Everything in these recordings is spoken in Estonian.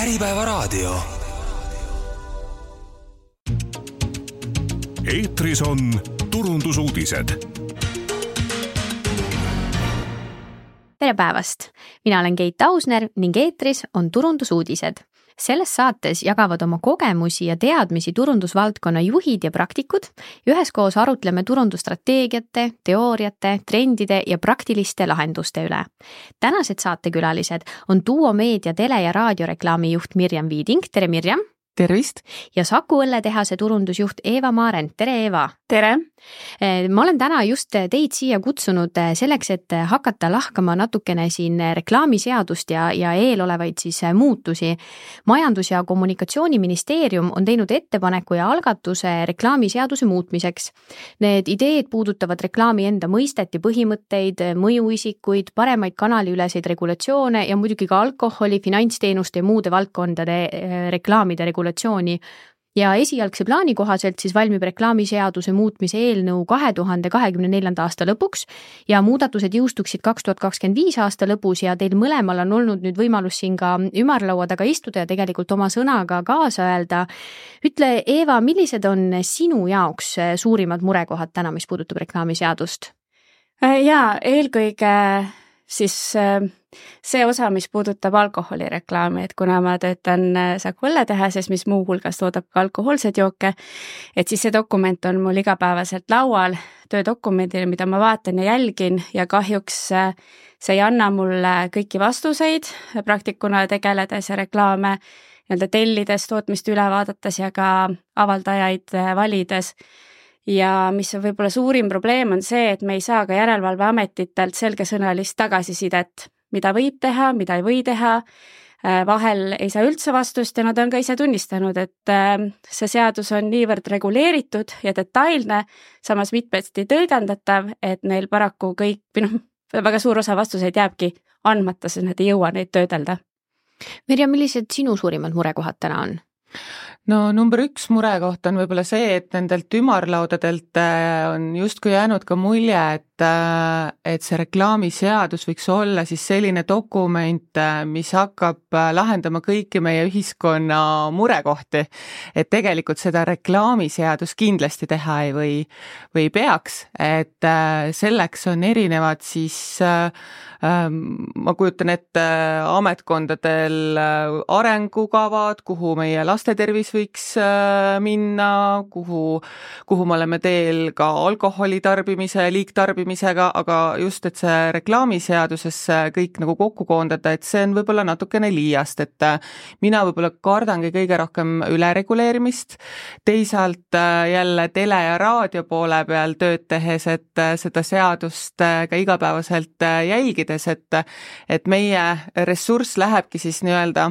Äripäevaraadio. Eetris on turundusuudised. Tere päevast! Mina olen Keit Ausner ning eetris on turundusuudised. Selles saates jagavad oma kogemusi ja teadmisi turundusvaldkonna juhid ja praktikud. Üheskoos arutleme turundusstrateegiate, teooriate, trendide ja praktiliste lahenduste üle. Tänased saatekülalised on Duo Meedia tele- ja raadioreklaami juht Mirjam Viiding. Tere Mirjam! Tervist! Ja Saku õlletehase turundusjuht Eeva Maarent. Tere Eeva! Tere! Ma olen täna just teid siia kutsunud selleks, et hakata lahkama natukene siin reklaamiseadust ja eelolevaid siis muutusi. Majandus- ja Kommunikatsiooniministeerium on teinud ettepaneku ja algatuse reklaamiseaduse muutmiseks. Need ideed puudutavad reklaami enda mõistet ja põhimõtteid, mõjuisikuid, paremaid kanaliüleseid regulatsioone ja muidugi ka alkoholi, finantsteenuste ja muude valdkondade reklaamide regulatsiooni. Ja esialgse plaani kohaselt siis valmib reklaamiseaduse muutmise eelnõu 2024. aasta lõpuks ja muudatused jõustuksid 2025. aasta lõpus ja teil mõlemal on olnud nüüd võimalus siin ka ümarlaua taga istuda ja tegelikult oma sõnaga kaasa öelda. Ütle, Eeva, millised on sinu jaoks suurimad murekohad täna, mis puudutab reklaamiseadust? Jaa, eelkõige siis see osa, mis puudutab alkoholireklaami, et kuna ma töötan Saku õlletehases, mis muu hulgas toodab ka alkohoolseid jooke, et siis see dokument on mul igapäevaselt laual, töödokumendil, mida ma vaatan ja jälgin ja kahjuks see ei anna mulle kõiki vastuseid praktikuna tegeledes ja reklaame tellides, tootmist üle vaadates ja ka avaldajaid valides. Ja mis on võib-olla suurim probleem on see, et me ei saa ka järelevalveametitelt selgesõnalist tagasisidet, mida võib teha, mida ei või teha, vahel ei saa üldse vastust ja nad on ka ise tunnistanud, et see seadus on niivõrd reguleeritud ja detailne, samas mitmesti tõlgendatav, et neil paraku väga suur osa vastuseid jääbki andmata, sest nad ei jõua neid töödelda. Mirjam, millised sinu suurimad murekohad täna on? No number 1 murekoht on võib-olla see, et nendelt ümarlaudadelt on justkui jäänud ka mulje, et see reklaamiseadus võiks olla siis selline dokument, mis hakkab lahendama kõiki meie ühiskonna murekohti. Et tegelikult seda reklaamiseadus kindlasti teha või peaks, et selleks on erinevad siis ma kujutan ette ametkondadel arengukavad, kuhu meie laste tervis võiks minna, kuhu me oleme teel ka alkoholi tarbimise, liigtarbimisega, aga just, et see reklaamiseaduses kõik nagu kokku koondada, et see on võib-olla natukene liiast, et mina võib-olla kardangi kõige rohkem ülereguleerimist, teisalt jälle tele- ja raadio poole peal tööd tehes, et seda seadust ka igapäevaselt jälgida, et meie ressurss lähebki siis nii-öelda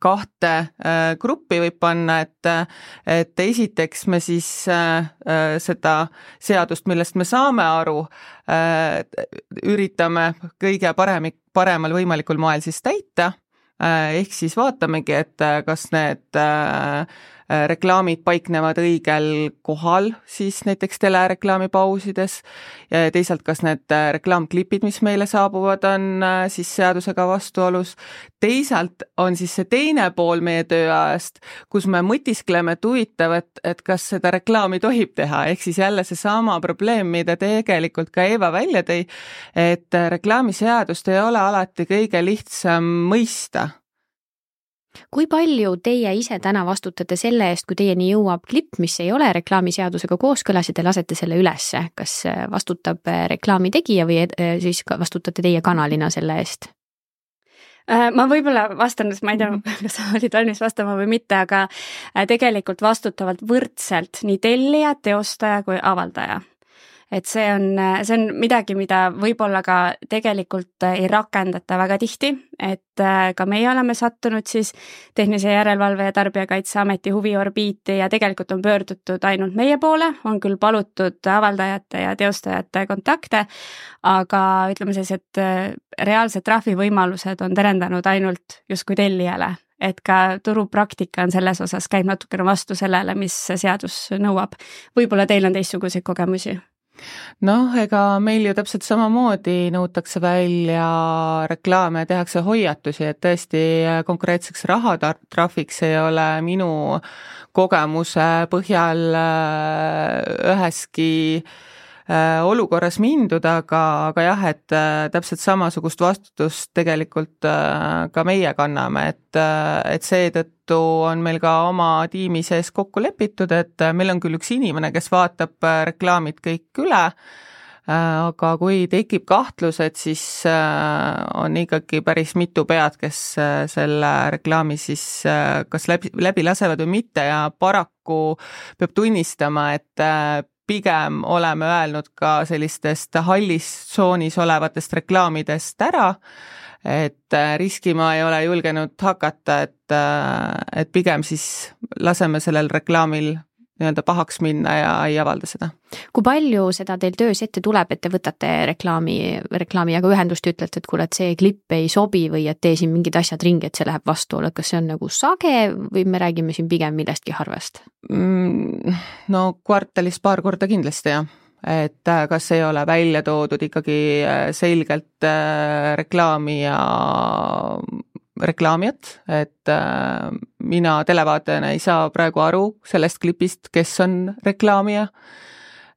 2 gruppi võib panna, et esiteks me siis seda seadust, millest me saame aru, üritame kõige paremal võimalikul moel siis täita, ehk siis vaatamegi, et kas need reklaamid paiknevad õigel kohal, siis näiteks telereklaamipausides, ja teisalt kas need reklaamklipid, mis meile saabuvad, on siis seadusega vastuolus. Teisalt on siis see teine pool meie tööajast, kus me mõtiskleme, et huvitav, et kas seda reklaami tohib teha, ehk siis jälle see sama probleem, mida tegelikult ka Eeva välja tõi, et reklaamiseadust ei ole alati kõige lihtsam mõista. Kui palju teie ise täna vastutate selle eest, kui teieni jõuab klipp, mis ei ole reklaamiseadusega kooskõlas ja te lasete selle ülesse? Kas vastutab reklaami tegija või siis vastutate teie kanalina selle eest? Ma võib-olla vastan, ma ei tea, kas sa olid valmis vastama või mitte, aga tegelikult vastutavad võrdselt nii tellija, teostaja kui avaldaja. Et see on midagi, mida võib-olla ka tegelikult ei rakendata väga tihti, et ka meie oleme sattunud siis Tehnilise Järelevalve ja Tarbijakaitseameti huviorbiiti ja tegelikult on pöördutud ainult meie poole, on küll palutud avaldajate ja teostajate kontakte, aga ütleme siis, et reaalsed trahvivõimalused on terendanud ainult justkui tellijale. Et ka turupraktika on selles osas käib natukene vastu sellele, mis seadus nõuab. Võib-olla teil on teistsuguseid kogemusi? Noh, ega meil ju täpselt samamoodi nõutakse välja reklaame ja tehakse hoiatusi, et tõesti konkreetseks rahatrahviks ei ole minu kogemuse põhjal üheski olukorras mindud, aga jah, et täpselt samasugust vastutust tegelikult ka meie kanname, et seetõttu on meil ka oma tiimi sees kokku lepitud, et meil on küll üks inimene, kes vaatab reklaamid kõik üle, aga kui tekib kahtlused, siis on ikkagi päris mitu pead, kes selle reklaami siis kas läbi lasevad või mitte ja paraku peab tunnistama, et pigem oleme öelnud ka sellistest hallis tsoonis olevatest reklaamidest ära, et riskima ei ole julgenud hakata, et pigem siis laseme sellel reklaamil nii-öelda pahaks minna ja ei avalda seda. Kui palju seda teil töös ette tuleb, et te võtate reklaamiga ühendust, ütlete, et kuule, et see klipp ei sobi või et tee siin mingid asjad ringi, et see läheb vastuolu, et kas see on nagu sage või me räägime siin pigem millestki harvast? No kvartalis paar korda kindlasti jah, et kas ei ole välja toodud ikkagi selgelt reklaami ja reklaamijat, et mina televaatajana ei saa praegu aru sellest klipist, kes on reklaamija,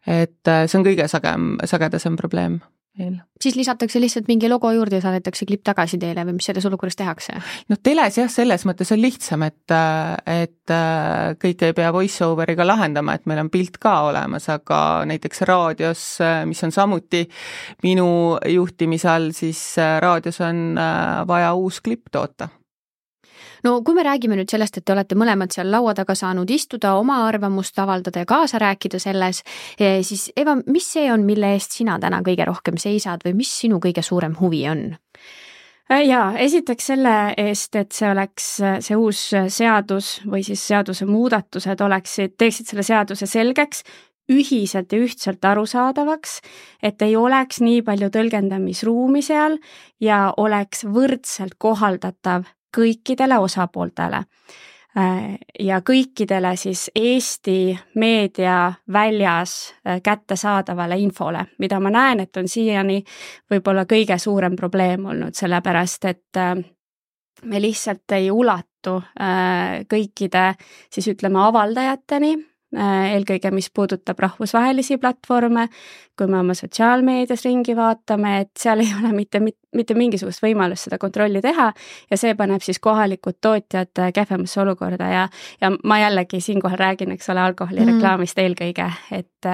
et see on kõige sagedasem probleem meil. Siis lisatakse lihtsalt mingi logo juurde ja saadetakse klipp tagasi teile või mis selles olukorras tehakse? No teles jah, selles mõttes on lihtsam, et kõik ei pea voice-overiga lahendama, et meil on pilt ka olemas, aga näiteks raadios, mis on samuti minu juhtimise all, siis raadios on vaja uus klipp toota. No kui me räägime nüüd sellest, et te olete mõlemad seal laua taga saanud istuda, oma arvamust avaldada ja kaasa rääkida selles, siis Eva, mis see on, mille eest sina täna kõige rohkem seisad või mis sinu kõige suurem huvi on? Jaa, esiteks selle eest, et see uus seadus või siis seaduse muudatused teeksid selle seaduse selgeks, ühiselt ja ühtselt arusaadavaks, et ei oleks nii palju tõlgendamisruumi seal ja oleks võrdselt kohaldatav kõikidele osapooltele ja kõikidele siis Eesti meedia väljas kättesaadavale infole, mida ma näen, et on siiani võib-olla kõige suurem probleem olnud, sellepärast et me lihtsalt ei ulatu kõikide siis ütleme avaldajateni, eelkõige mis puudutab rahvusvahelisi platvorme, kui me oma sotsiaalmeedias ringi vaatame, et seal ei ole mitte mingisugust võimalust seda kontrolli teha ja see paneb siis kohalikud tootjad kehvemasse olukorda ja ma jällegi siinkohal räägin, eks ole, alkoholireklaamist eelkõige, et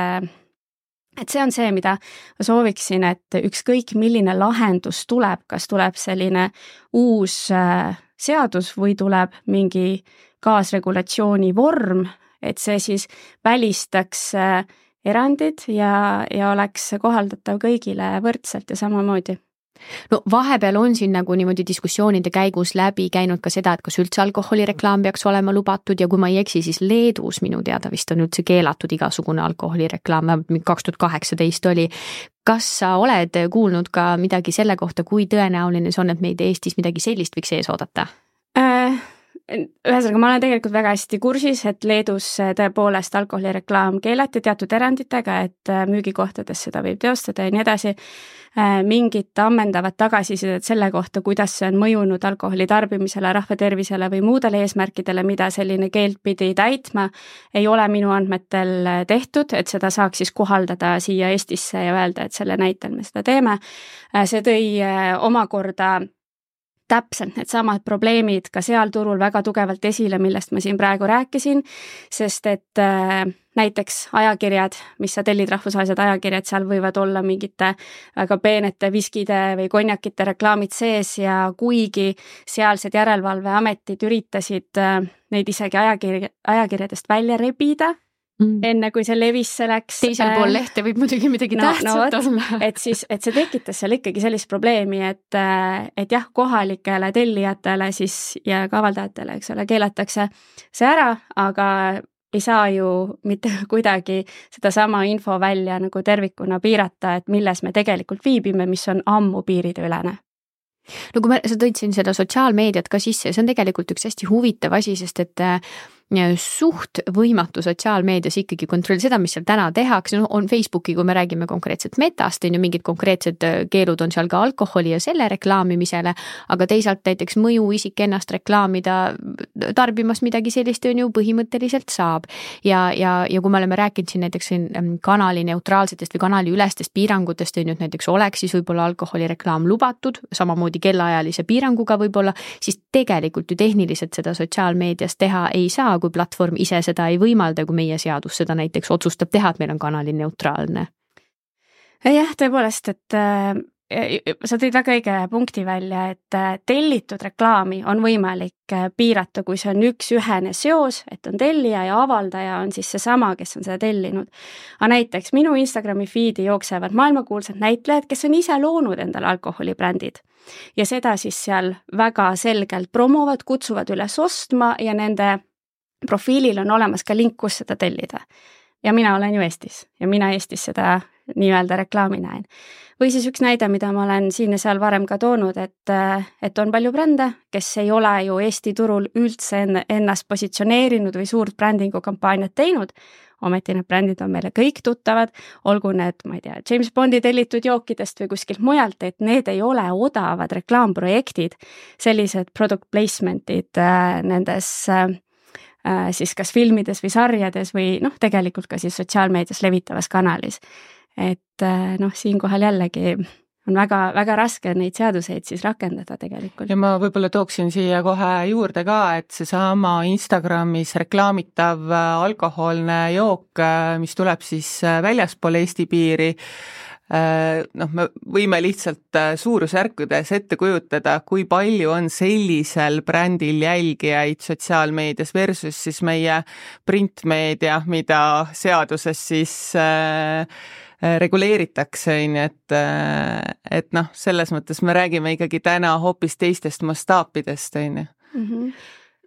see on see, mida ma sooviksin, et ükskõik milline lahendus tuleb, kas tuleb selline uus seadus või tuleb mingi kaasregulatsiooni vorm, et see siis välistaks erandid ja oleks kohaldatav kõigile võrdselt ja samamoodi. No vahepeal on siin nagu niimoodi diskussioonide käigus läbi käinud ka seda, et kas üldse alkoholireklaam peaks olema lubatud ja kui ma ei eksi, siis Leedus minu teada vist on üldse keelatud igasugune alkoholireklaam, 2018 oli. Kas sa oled kuulnud ka midagi selle kohta, kui tõenäoline see on, et meid Eestis midagi sellist võiks ees oodata? Ühesõnaga, ma olen tegelikult väga hästi kursis, et Leedus tõepoolest alkoholireklaam keelati teatud eranditega, et müügikohtades seda võib teostada ja nii edasi. Mingit ammendavat tagasisidet selle kohta, kuidas see on mõjunud alkoholi tarbimisele, rahvatervisele või muudele eesmärkidele, mida selline keeld pidi täitma, ei ole minu andmetel tehtud, et seda saaks siis kohaldada siia Eestisse ja öelda, et selle näitel me seda teeme. See tõi omakorda täpselt need samad probleemid ka seal turul väga tugevalt esile, millest ma siin praegu rääkisin, sest et näiteks ajakirjad, mis sa tellid, rahvusvahelised ajakirjad, seal võivad olla mingite väga peenete viskide või konjakite reklaamid sees ja kuigi sealsed järelevalveametid üritasid neid isegi ajakirjadest välja rebida, enne kui see levisse läks. Teisel pool lehte võib muidugi midagi tähtsat olla. Et see tekitas seal ikkagi sellist probleemi, et jah, kohalikele tellijatele siis ja ka avaldajatele, eks ole, keelatakse see ära, aga ei saa ju mitte kuidagi sedasama info välja nagu tervikuna piirata, et milles me tegelikult viibime, mis on ammu piirideülene. No kui sa tõid siin seda sotsiaalmeediat ka sisse, see on tegelikult üks hästi huvitav asi, sest et suht võimatu sotsiaalmeedias ikkagi kontroll seda, mis seal täna tehakse, on Facebooki, kui me räägime konkreetselt Metast, on ju mingid konkreetsed keelud on seal ka alkoholi ja selle reklaamimisele, aga teisalt näiteks mõju isik ennast reklaamida tarbimas midagi sellist on ju põhimõtteliselt saab. Ja kui me oleme rääkinud siin näiteks kanali neutraalsetest või kanali ülestest piirangutest, on ju, et näiteks oleks siis võib-olla alkoholireklaam lubatud, samamoodi kellaajalise piiranguga võib-olla, siis tegelikult ju tehniliselt seda sotsiaalmeedias teha ei saa, kui platvorm ise seda ei võimalda, kui meie seadus seda näiteks otsustab teha, et meil on kanali neutraalne. Jah, tõepoolest, et sa tõid väga õige punkti välja, et tellitud reklaami on võimalik piirata, kui see on üks-ühene seos, et on tellija ja avaldaja on siis seesama, kes on seda tellinud. Aga näiteks minu Instagrami feedi jooksevad maailmakuulsad näitlejad, kes on ise loonud endale alkoholibrändid. Ja seda siis seal väga selgelt promovad, kutsuvad üles ostma ja nende profiilil on olemas ka link, kus seda tellida. Ja mina olen ju Eestis ja mina Eestis seda nii-öelda reklaami näen. Või siis üks näide, mida ma olen siin ja seal varem ka toonud, et on palju brände, kes ei ole ju Eesti turul üldse ennast positsioneerinud või suurt brändingu kampaaniat teinud, ometi need brändid on meile kõik tuttavad, olgu need, ma ei tea, James Bondi tellitud jookidest või kuskilt mujalt, et need ei ole odavad reklaamprojektid, sellised product placement'id nendes siis kas filmides või sarjades või tegelikult ka siis sotsiaalmeedias levitavas kanalis. Et siinkohal jällegi on väga, väga raske neid seaduseid siis rakendada tegelikult. Ja ma võib-olla tooksin siia kohe juurde ka, et seesama Instagramis reklaamitav alkoholne jook, mis tuleb siis väljaspool Eesti piiri, me võime lihtsalt suurusjärkudes ette kujutada, kui palju on sellisel brändil jälgijaid sotsiaalmeedias versus siis meie printmeedia, mida seaduses siis reguleeritakse, et selles mõttes me räägime ikkagi täna hoopis teistest mastaapidest,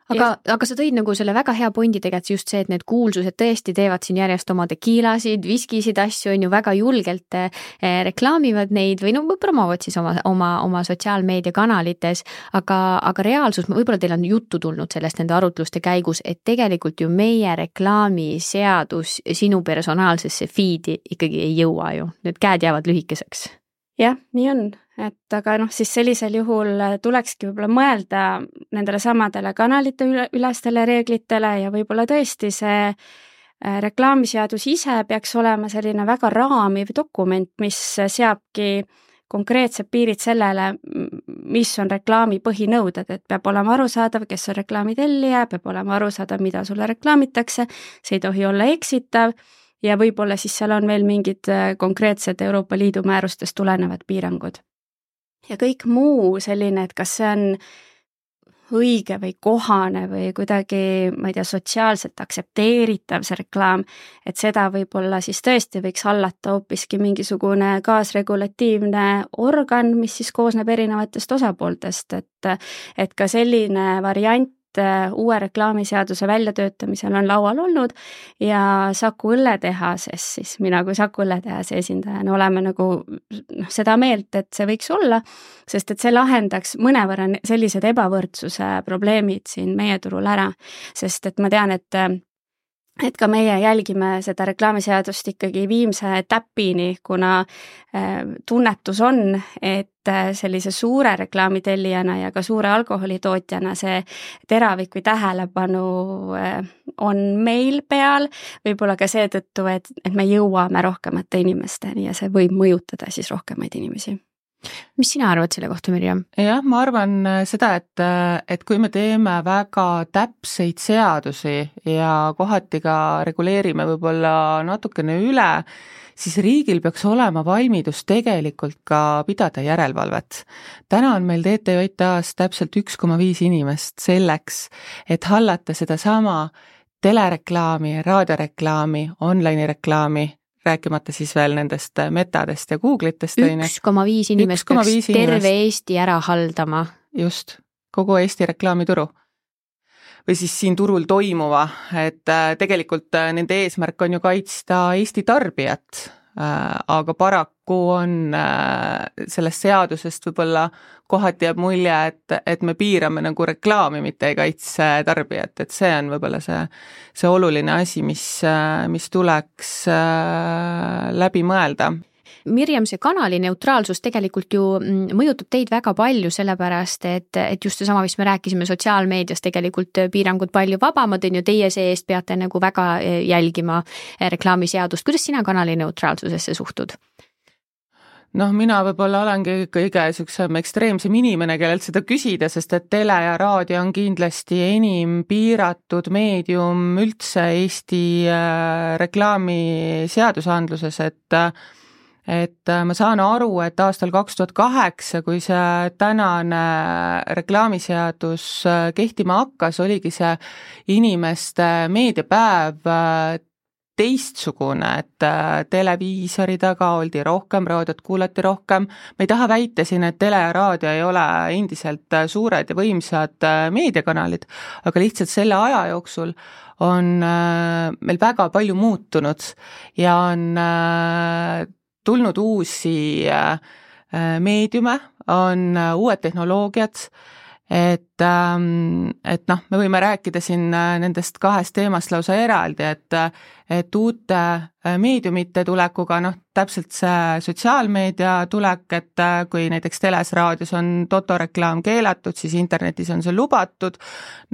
Aga sa tõid nagu selle väga hea pointi tegelikult just see, et need kuulsused tõesti teevad siin järjest oma tekiilasid, viskisid asju, on ju väga julgelt reklaamivad neid või promovad siis oma sotsiaalmeedia kanalites, aga reaalsus, võib-olla teil on juttu tulnud sellest nende arutluste käigus, et tegelikult ju meie reklaamiseadus sinu personaalsesse feedi ikkagi ei jõua ju, need käed jäävad lühikeseks. Jah, nii on, et aga siis sellisel juhul tulekski võib-olla mõelda nendele samadele kanalite ülestele reeglitele ja võib-olla tõesti see reklaamiseadus ise peaks olema selline väga raamiv dokument, mis seabki konkreetsed piirid sellele, mis on reklaami põhinõuded, et peab olema arusaadav, kes on reklaami tellija, peab olema arusaadav, mida sulle reklaamitakse, see ei tohi olla eksitav, ja võib-olla siis seal on veel mingid konkreetsed Euroopa Liidu määrustest tulenevad piirangud. Ja kõik muu selline, et kas see on õige või kohane või kuidagi, ma ei tea, sotsiaalselt aktsepteeritav see reklaam, et seda võib-olla siis tõesti võiks hallata hoopiski mingisugune kaasregulatiivne organ, mis siis koosneb erinevatest osapooltest, et ka selline variant uue reklaamiseaduse väljatöötamisel on laual olnud ja Saku õlletehases, siis mina kui Saku õlletehase esindajana oleme nagu seda meelt, et see võiks olla, sest et see lahendaks mõnevõrra sellised ebavõrdsuse probleemid siin meie turul ära, sest et ma tean, et ka meie jälgime seda reklaamiseadust ikkagi viimse täpini, kuna tunnetus on, et sellise suure reklaamitellijana ja ka suure alkoholitootjana see teravik või tähelepanu on meil peal, võib-olla ka seetõttu, et me jõuame rohkemate inimesteni ja see võib mõjutada siis rohkemaid inimesi. Mis sina arvad selle kohta, Mirjam? Jah, ma arvan seda, et kui me teeme väga täpseid seadusi ja kohati ka reguleerime võib-olla natukene üle, siis riigil peaks olema valmidus tegelikult ka pidada järelevalvet. Täna on meil TTJA-s täpselt 1,5 inimest selleks, et hallata seda sama telereklaami, raadioreklaami, online reklaami, rääkimata siis veel nendest metadest ja Google'itest. 1,5 inimest peaks terve Eesti ära haldama. Just, kogu Eesti reklaamituru. Või siis siin turul toimuva, et tegelikult nende eesmärk on ju kaitsta Eesti tarbijat, aga paraku on sellest seadusest võib-olla kohati jääb mulje, et me piirame nagu reklaami, mitte ei kaitse tarbijat, et see on võib-olla see oluline asi, mis tuleks läbi mõelda. Mirjam, see kanali neutraalsus tegelikult ju mõjutab teid väga palju, sellepärast, et just seesama, mis me rääkisime sotsiaalmeedias, tegelikult piirangud palju vabamad on ju, teie see-eest peate nagu väga jälgima reklaamiseadust. Kuidas sina kanali neutraalsusesse suhtud? Mina võib-olla olengi kõige süksem ekstreemsem inimene, kellelt seda küsida, sest et tele ja raadio on kindlasti enim piiratud meedium üldse Eesti reklaami seadusandluses, et ma saan aru, et aastal 2008, kui see tänane reklaamiseadus kehtima hakkas, oligi see inimeste meediapäev teistsugune, et televiisori taga oldi rohkem, raadiot kuulati rohkem. Ma ei taha väita siin, et tele ja raadio ei ole endiselt suured ja võimsad meediakanalid, aga lihtsalt selle aja jooksul on meil väga palju muutunud ja on tulnud uusi meediume, on uued tehnoloogiad, et me võime rääkida siin nendest kahest teemast lausa eraldi, et uute meediumite tulekuga, täpselt see sotsiaalmeedia tulek, et kui näiteks teles, raadios on totoreklaam keelatud, siis internetis on see lubatud,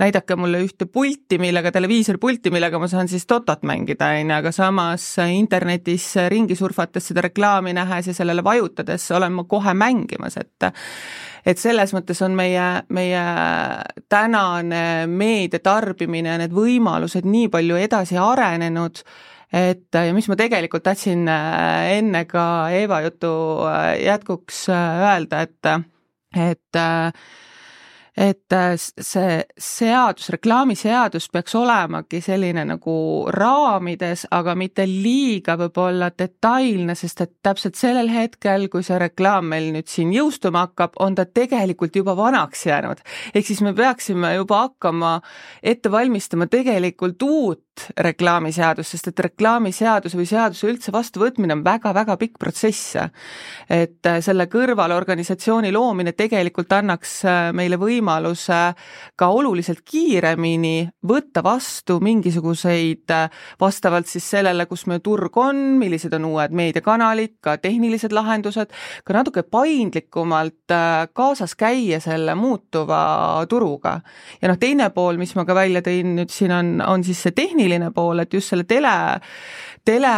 näidake mulle ühte televiisorpulti, millega ma saan siis totot mängida, aga samas internetis ringi surfates seda reklaami nähes ja sellele vajutades olen ma kohe mängimas, et selles mõttes on meie tänane meediatarbimine ja need võimalused nii palju edasi arenenud, ja mis ma tegelikult tahtsin enne ka Eeva jutu jätkuks öelda, et see seadus, reklaamiseadus peaks olemagi selline nagu raamides, aga mitte liiga võib-olla detailne, sest et täpselt sellel hetkel, kui see reklaam meil nüüd siin jõustuma hakkab, on ta tegelikult juba vanaks jäänud. Ehk siis me peaksime juba hakkama ette valmistama tegelikult uut reklaamiseadus, sest et reklaamiseaduse või seaduse üldse vastuvõtmine on väga-väga pikk protsess. Et selle kõrval organisatsiooni loomine tegelikult annaks meile võimaluse ka oluliselt kiiremini võtta vastu mingisuguseid vastavalt siis sellele, kus meie turg on, millised on uued meediakanalid, ka tehnilised lahendused, ka natuke paindlikumalt kaasas käia selle muutuva turuga. Ja teine pool, mis ma ka välja tõin nüüd siin on siis see tehniline pool, et just selle tele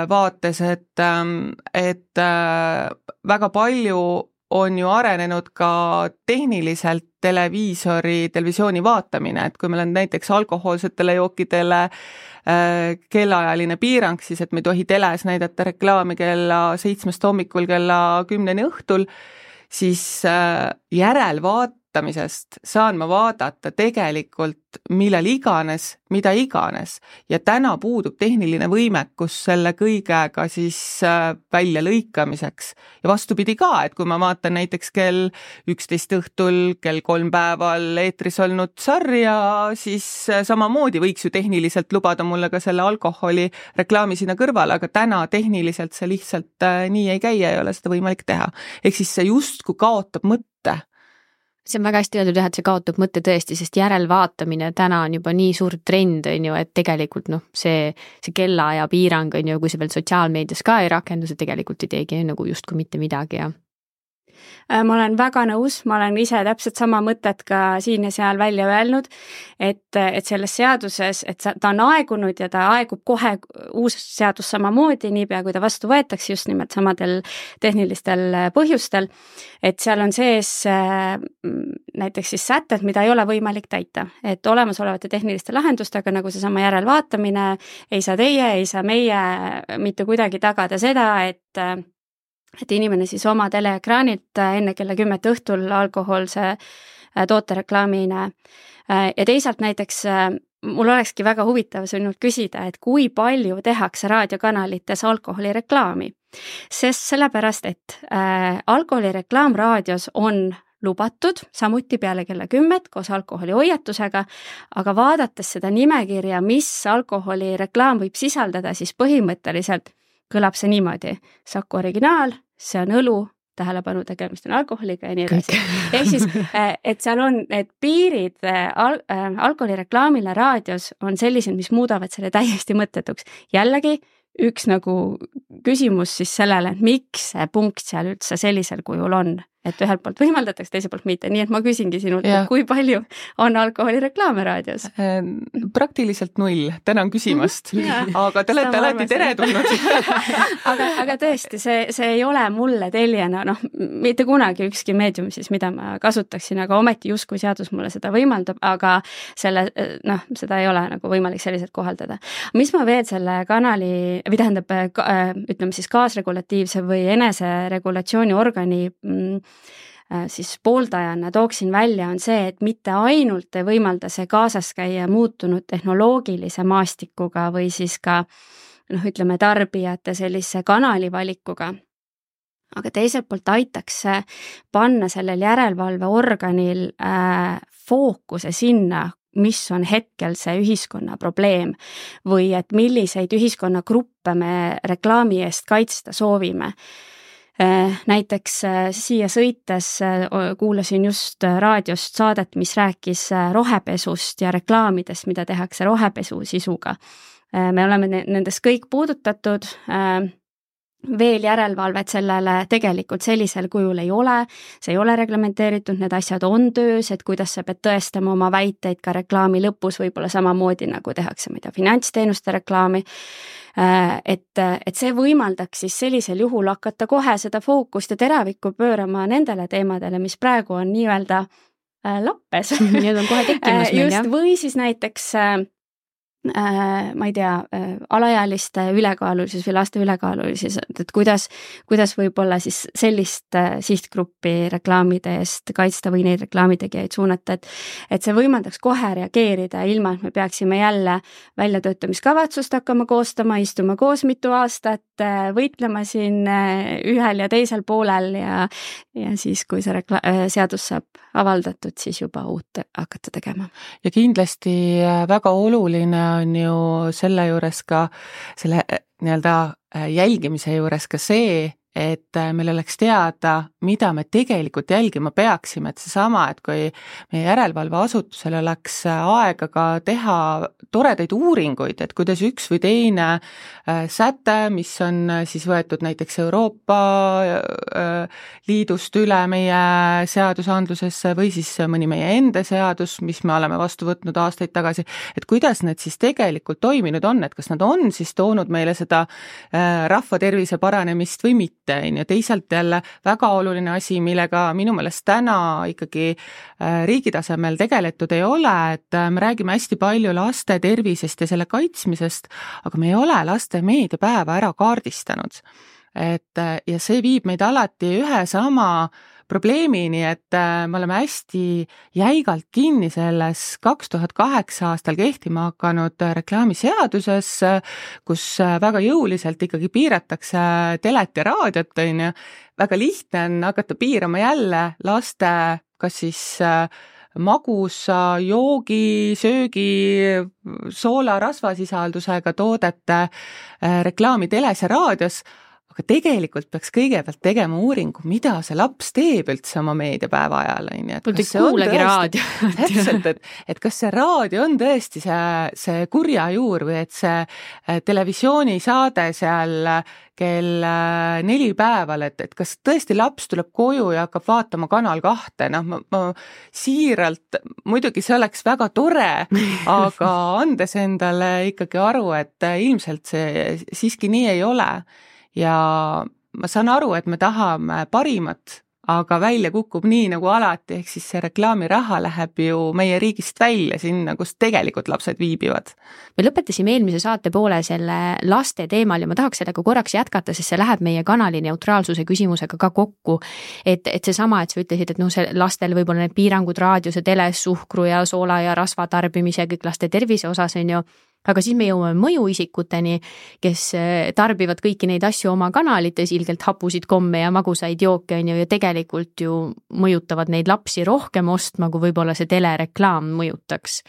vaates, et väga palju on ju arenenud ka tehniliselt televisiooni vaatamine, et kui meil on näiteks alkohoolsetele jookidele kellaajaline piirang, siis et me ei tohi teles näidata reklaami kella 7 hommikul kella 10 õhtul, siis järelvaatamisest saan ma vaadata tegelikult millal iganes, mida iganes ja täna puudub tehniline võimekus selle kõigega siis välja lõikamiseks. Ja vastupidi ka, et kui ma vaatan näiteks kell 11 õhtul, kell 3 päeval eetris olnud sarja, siis samamoodi võiks ju tehniliselt lubada mulle ka selle alkoholi reklaami sinna kõrvale, aga täna tehniliselt see lihtsalt nii ei käi ja ei ole seda võimalik teha. Ehk siis see justkui kaotab mõtte. See on väga hästi öeldud, et see kaotab mõtte tõesti, sest järelvaatamine täna on juba nii suur trend, on ju, et tegelikult see kellaaja piirang on ju, kui see veel sotsiaalmeedias ka ei rakendu, see tegelikult ei teegi nagu justkui mitte midagi ja ma olen väga nõus, ma olen ise täpselt sama mõtet ka siin ja seal välja öelnud, et selles seaduses, et ta on aegunud ja ta aegub kohe uus seadus samamoodi, niipea kui ta vastu võetakse just nimelt samadel tehnilistel põhjustel, et seal on sees näiteks siis sätted, mida ei ole võimalik täita, et olemasolevate tehniliste lahendustega, nagu seesama järelvaatamine, ei saa teie, ei saa meie mitte kuidagi tagada seda, et inimene siis oma teleekraanilt enne kella 10 õhtul alkohoolse tootereklaami ei näe. Ja teisalt näiteks mul olekski väga huvitav sinult küsida, et kui palju tehakse raadiokanalites alkoholireklaami. Sest sellepärast, et alkoholireklaam raadios on lubatud, samuti peale kella 10 koos alkoholi hoiatusega, aga vaadates seda nimekirja, mis alkoholireklaam võib sisaldada, siis põhimõtteliselt kõlab see niimoodi. Saku originaal, see on õlu, tähelepanu tegemist on alkoholiga ja nii edasi. Ehk siis, et seal on need piirid alkoholireklaamile raadios on sellised, mis muudavad selle täiesti mõttetuks. Jällegi, üks nagu küsimus siis sellele, et miks see punkt seal üldse sellisel kujul on, et ühelt poolt võimaldatakse, teiselt poolt mitte. Nii et ma küsingi sinult, kui palju on alkoholireklaame raadios? Praktiliselt 0, tänan küsimast. Aga te olete alati teretulnud. aga tõesti, see ei ole mulle teljena, mitte kunagi ükski meedium siis, mida ma kasutaksin, aga ometi justkui seadus mulle seda võimaldab, aga seda ei ole nagu võimalik selliselt kohaldada. Mis ma veel selle kanali, või tähendab, ütleme siis kaasregulatiivse või eneseregulatsiooni organi siis pooldajana tooksin välja, on see, et mitte ainult ei võimalda see kaasas käia muutunud tehnoloogilise maastikuga või siis ka ütleme tarbijate sellise kanalivalikuga, aga teiselt poolt aitaks panna sellel järelevalveorganil fookuse sinna, mis on hetkel see ühiskonna probleem või et milliseid ühiskonnagruppe me reklaami eest kaitsta soovime. Näiteks siia sõites kuulasin just raadiost saadet, mis rääkis rohepesust ja reklaamidest, mida tehakse rohepesu sisuga. Me oleme nendest kõik puudutatud, veel järelevalvet sellele tegelikult sellisel kujul ei ole, see ei ole reglementeeritud, need asjad on töös, et kuidas sa pead tõestama oma väiteid ka reklaami lõpus, võib-olla samamoodi nagu tehakse finantsteenuste reklaami, et see võimaldaks siis sellisel juhul hakata kohe seda fookust ja teravikku pöörama nendele teemadele, mis praegu on nii-öelda lappes. Need on kohe tekkimas meil, jah. Või siis näiteks ma ei tea, alaealiste ülekaalulisus või laste ülekaalulisus, et kuidas võib-olla siis sellist sihtgruppi reklaamide eest kaitsta või neid reklaamitegijaid suunata, et see võimaldaks kohe reageerida ilma, et me peaksime jälle väljatöötamiskavatsust hakkama koostama, istuma koos mitu aastat, võitlema siin ühel ja teisel poolel ja siis, kui see seadus saab avaldatud, siis juba uut hakata tegema. Ja kindlasti väga oluline on ju selle juures ka, selle nii-öelda jälgimise juures ka see, et meil oleks teada, mida me tegelikult jälgima peaksime, et seesama, et kui meie järelevalveasutusel oleks aega ka teha toredaid uuringuid, et kuidas üks või teine säte, mis on siis võetud näiteks Euroopa Liidust üle meie seadusandlusesse või siis mõni meie enda seadus, mis me oleme vastu võtnud aastaid tagasi, et kuidas need siis tegelikult toiminud on, et kas nad on siis toonud meile seda rahva tervise paranemist või mitte. Ja teisalt jälle väga oluline asi, millega minu meelest täna ikkagi riigi tasemel tegeletud ei ole, et me räägime hästi palju laste tervisest ja selle kaitsmisest, aga me ei ole laste meediapäeva ära kaardistanud. Ja see viib meid alati ühe sama probleemini, et me oleme hästi jäigalt kinni selles 2008 aastal kehtima hakanud reklaamiseaduses, kus väga jõuliselt ikkagi piiratakse telet ja raadiot, on ju. Väga lihtne on hakata piirama jälle laste, kas siis magusa, joogi, söögi, soola, rasvasisaldusega toodete reklaami teles ja raadios, aga tegelikult peaks kõigepealt tegema uuringu, mida see laps teeb üldse oma meediapäeva ajal. Pult ei kuulegi raadio. Täpselt, et kas see raadio on tõesti see kurja juur või et see televisioonisaade seal kell 4 päeval, et kas tõesti laps tuleb koju ja hakkab vaatama Kanal 2, ma siiralt, muidugi see oleks väga tore, aga andes endale ikkagi aru, et ilmselt see siiski nii ei ole. Ja ma saan aru, et me tahame parimat, aga välja kukub nii nagu alati, ehk siis see reklaamiraha läheb ju meie riigist välja sinna, kus tegelikult lapsed viibivad. Me lõpetasime eelmise saate poole selle laste teemal ja ma tahaks sellega korraks jätkata, sest see läheb meie kanali neutraalsuse küsimusega ka kokku. Et seesama, et sa ütlesid, et see lastel võib-olla need piirangud raadios ja teles, suhkru ja soola ja rasva tarbimise kõik laste tervise osas on ju, aga siis me jõuame mõjuisikuteni, kes tarbivad kõiki neid asju oma kanalites, ilgelt hapusid komme ja magusaid jooke on ju, ja tegelikult ju mõjutavad neid lapsi rohkem ostma, kui võib-olla see telereklaam mõjutaks.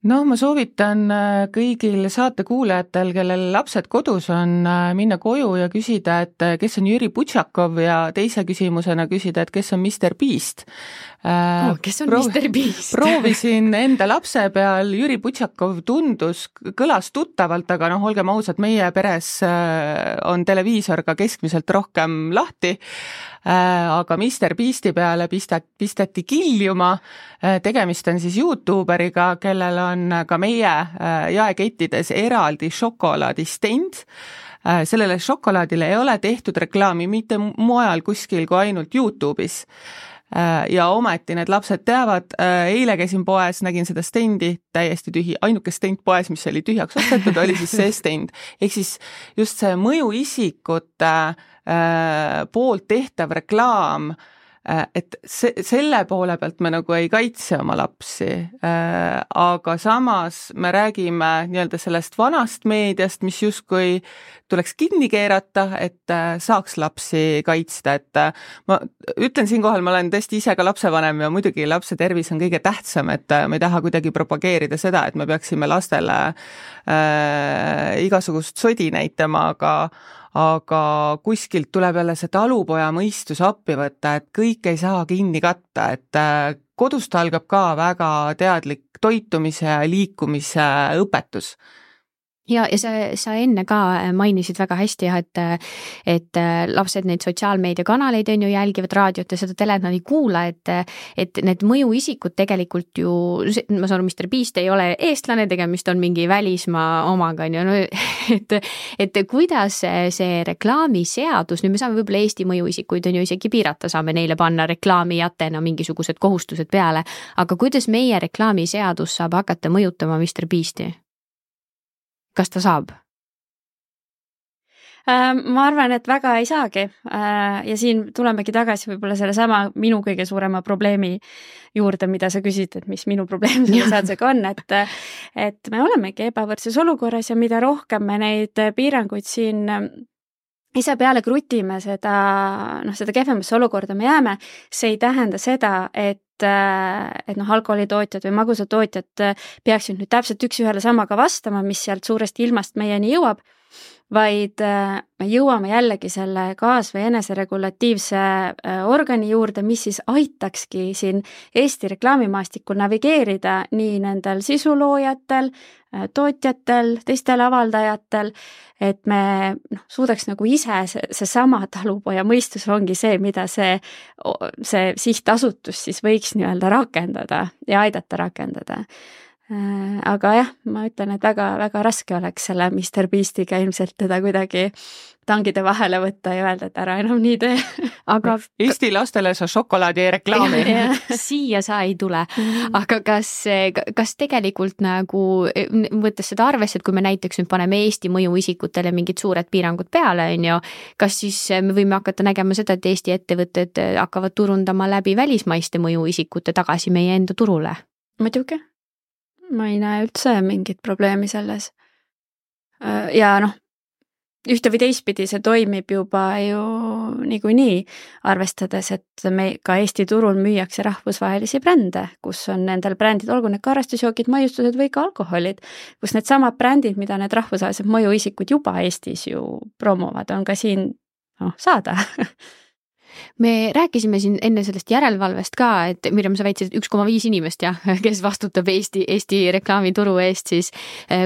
No ma soovitan kõigil saatekuulajatel, kellel lapsed kodus on, minna koju ja küsida, et kes on Jüri Butšakov ja teise küsimusena küsida, et kes on Mr. Beast. Kes on Mr. Beast? Proovisin enda lapse peal, Jüri Butšakov kõlas tuttavalt, aga olgem ausad, meie peres on televiisor ka keskmiselt rohkem lahti, aga Mr. Beasti peale pistati kiljuma. Tegemist on siis YouTuberiga, kellel on ka meie jaekettides eraldi šokolaadistend. Sellele šokolaadile ei ole tehtud reklaami mitte mujal kuskil kui ainult YouTube'is. Ja ometi need lapsed teavad, eile käisin poes, nägin seda stendi täiesti tühi, ainuke stend poes, mis oli tühjaks ostetud, oli siis see stend. Ehk siis just see mõjuisikute poolt tehtav reklaam, et selle poole pealt me nagu ei kaitse oma lapsi, aga samas me räägime nii-öelda sellest vanast meediast, mis justkui tuleks kinni keerata, et saaks lapsi kaitsta, et ma ütlen siinkohal, ma olen tõesti ise ka lapsevanem ja muidugi lapse tervis on kõige tähtsam, et me ei taha kuidagi propageerida seda, et me peaksime lastele igasugust sodi näitama, aga kuskilt tuleb jälle see talupoja mõistus appi võtta, et kõik ei saa kinni katta, et kodust algab ka väga teadlik toitumise ja liikumise õpetus. Ja sa enne ka mainisid väga hästi, et lapsed neid sotsiaalmeediakanaleid on ju jälgivad raadiot ja seda telet nad ei kuula, et need mõjuisikud tegelikult ju, ma saan aru, Mr. Beast ei ole eestlane, tegemist on mingi välismaa omaga, on ju, et kuidas see reklaamiseadus, nüüd me saame võib-olla Eesti mõjuisikuid on ju isegi piirata, saame neile panna reklaamijatena mingisugused kohustused peale, aga kuidas meie reklaamiseadus saab hakata mõjutama Mr. Beasti? Kas ta saab? Ma arvan, et väga ei saagi ja siin tulemegi tagasi võib-olla selle sama minu kõige suurema probleemi juurde, mida sa küsid, et mis minu probleem selle seadusega on, et me olemegi ebavõrdses olukorras ja mida rohkem me neid piiranguid siin ise peale krutime, seda kehvemasse olukorda me jääme. See ei tähenda seda, et alkoholitootjad või magusatootjad peaksid nüüd täpselt üks ühele samaga vastama, mis sealt suuresti ilmast meieni jõuab, vaid me jõuame jällegi selle kaas- või eneseregulatiivse organi juurde, mis siis aitakski siin Eesti reklaamimaastikul navigeerida nii nendel sisuloojatel, tootjatel, teistel avaldajatel, et me suudaks nagu ise see sama talupoja mõistus ongi see, mida see sihtasutus siis võiks nii-öelda rakendada ja aidata rakendada. Aga jah, ma ütlen, et väga raske oleks selle Mr. Beastiga ilmselt teda kuidagi tangide vahele võtta ja öelda, et ära enam nii tee. Aga Eesti lastele sa šokolaadi ei reklaami. Siia sa ei tule. Aga kas tegelikult nagu, võttes seda arvesse, et kui me näiteks nüüd paneme Eesti mõjuisikutele mingid suured piirangud peale, on ju, kas siis me võime hakata nägema seda, et Eesti ettevõtted hakkavad turundama läbi välismaiste mõjuisikute tagasi meie enda turule? Muidugi. Ma ei näe üldse mingit probleemi selles. Ja ühte või teistpidi see toimib juba ju niikuinii, arvestades, et me ka Eesti turul müüakse rahvusvahelisi brände, kus on nendel brändid, olgu need karastusjookid, maiustused või ka alkoholid, kus need samad brändid, mida need rahvusvahelised mõjuisikud juba Eestis ju promovad, on ka siin saada. Me rääkisime siin enne sellest järelevalvest ka, et Mirjam, sa väitsid 1,5 inimest, kes vastutab Eesti reklaamituru eest, siis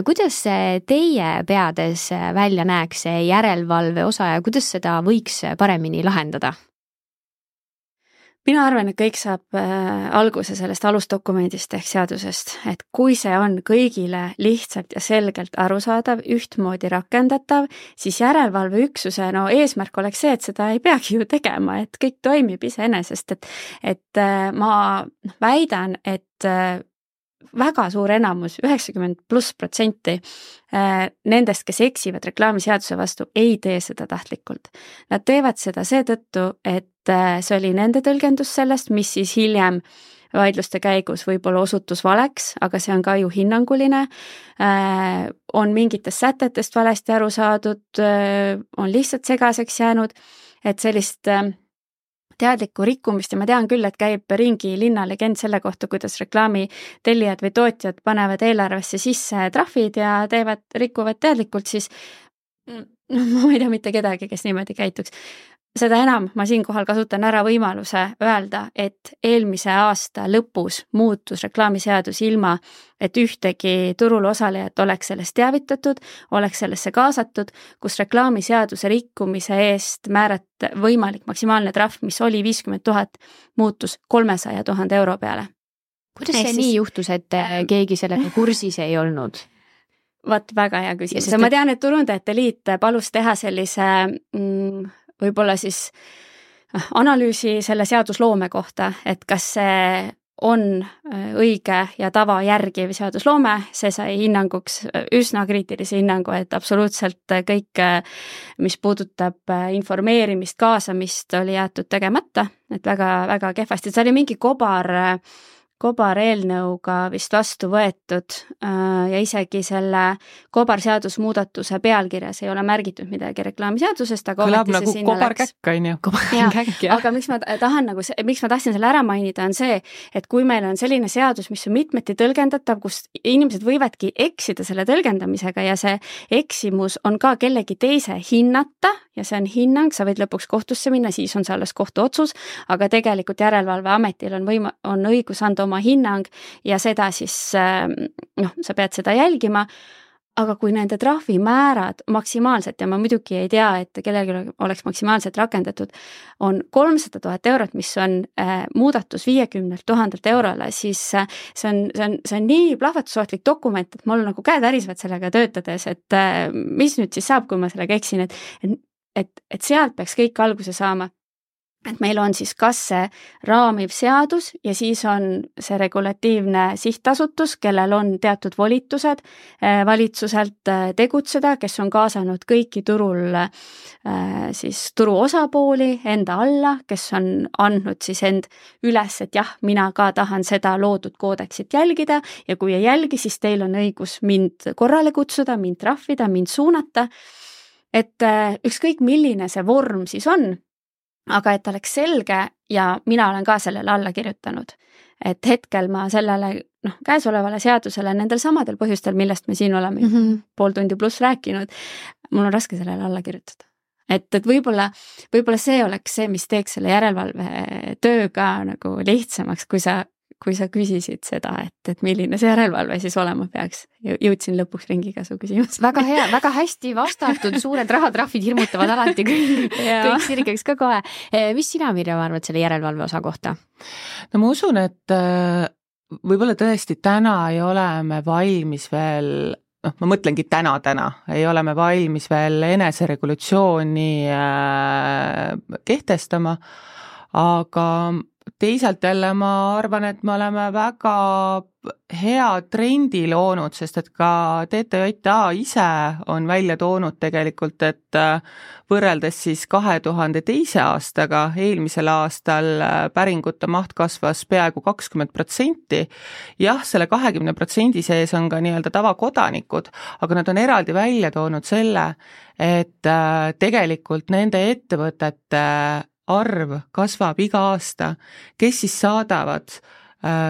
kuidas teie peades välja näeks see järelevalve osa ja kuidas seda võiks paremini lahendada? Mina arvan, et kõik saab alguse sellest alusdokumendist ehk seadusest, et kui see on kõigile lihtsalt ja selgelt arusaadav, ühtmoodi rakendatav, siis järelevalveüksuse eesmärk oleks see, et seda ei peagi ju tegema, et kõik toimib iseenesest, et ma väidan, et väga suur enamus, 90+% nendest, kes eksivad reklaamiseaduse vastu, ei tee seda tahtlikult. Nad teevad seda seetõttu, et see oli nende tõlgendus sellest, mis siis hiljem vaidluste käigus võib-olla osutus valeks, aga see on ka ju hinnanguline, on mingitest sätetest valesti aru saadud, on lihtsalt segaseks jäänud, et sellist teadlikku rikkumist ja ma tean küll, et käib ringi linnalegend selle kohta, kuidas reklaami tellijad või tootjad panevad eelarvesse sisse trahvid ja rikuvad teadlikult, siis ma ei tea mitte kedagi, kes niimoodi käituks. Seda enam ma siinkohal kasutan ära võimaluse öelda, et eelmise aasta lõpus muutus reklaamiseadus ilma, et ühtegi turul osalejat oleks sellest teavitatud, oleks sellesse kaasatud, kus reklaamiseaduse rikkumise eest võimalik maksimaalne trahv, mis oli 50 000, muutus 300 000 euro peale. Kuidas see nii juhtus, et keegi sellega kursis ei olnud? Vaat väga hea küsimus. Ma tean, et Turundajate Liit palus teha sellise võib-olla siis analüüsi selle seadusloome kohta, et kas see on õige ja tava järgiv seadusloome, see sai hinnanguks üsna kriitilise hinnangu, et absoluutselt kõik, mis puudutab informeerimist, kaasamist, oli jäetud tegemata, et väga kehvasti. See oli mingi kobareelnõuga vist vastu võetud ja isegi selle kobarseadusmuudatuse pealkirjas ei ole märgitud midagi reklaamiseadusest, aga kõlab nagu kobarkäkk, on ju. Aga miks ma tahtsin selle ära mainida, on see, et kui meil on selline seadus, mis on mitmeti tõlgendatav, kus inimesed võivadki eksida selle tõlgendamisega ja see eksimus on ka kellegi teise hinnata ja see on hinnang, sa võid lõpuks kohtusse minna, siis on see alles kohtuotsus, aga tegelikult Järelevalveametil on õigus anda oma hinnang ja seda siis, sa pead seda jälgima, aga kui nende trahvimäärad maksimaalselt, ja ma muidugi ei tea, et kellelgi oleks maksimaalselt rakendatud, on 300 000 eurot, mis on muudatus 50 000 eurole, siis see on nii plahvatusohtlik dokument, et mul nagu käed ärisvad sellega töötades, et mis nüüd siis saab, kui ma sellega eksin, et sealt peaks kõik alguse saama. Et meil on siis kas see raamiv seadus ja siis on see regulatiivne sihtasutus, kellel on teatud volitused valitsuselt tegutseda, kes on kaasanud kõiki turul siis turu osapooli enda alla, kes on andnud siis end üles, et jah, mina ka tahan seda loodud koodeksit jälgida ja kui ei jälgi, siis teil on õigus mind korrale kutsuda, mind trahvida, mind suunata. Et ükskõik milline see vorm siis on, aga et oleks selge ja mina olen ka sellele alla kirjutanud, et hetkel ma sellele käesolevale seadusele nendel samadel põhjustel, millest me siin oleme pool tundi pluss rääkinud, mul on raske sellele alla kirjutada. Et võib-olla see oleks see, mis teeks selle järelevalve töö ka nagu lihtsamaks, kui sa küsisid seda, et milline see järelevalve siis olema peaks. Jõudsin lõpuks ringiga su küsimus. Väga hea, väga hästi vastatud, suured rahatrahvid hirmutavad alati kõik sirgeks ka kohe. Mis sina, Mirjam, arvad selle järelevalve osa kohta? No ma usun, et võib-olla tõesti täna ei ole me valmis veel, ma mõtlengi täna, ei ole me valmis veel eneseregulatsiooni kehtestama, aga teisalt jälle ma arvan, et me oleme väga hea trendi loonud, sest et ka TTJA ise on välja toonud tegelikult, et võrreldes siis 2002. aastaga eelmisel aastal päringute maht kasvas peaaegu 20%. Jah, selle 20% sees on ka nii-öelda tavakodanikud, aga nad on eraldi välja toonud selle, et tegelikult nende ettevõtete arv kasvab iga aasta, kes siis saadavad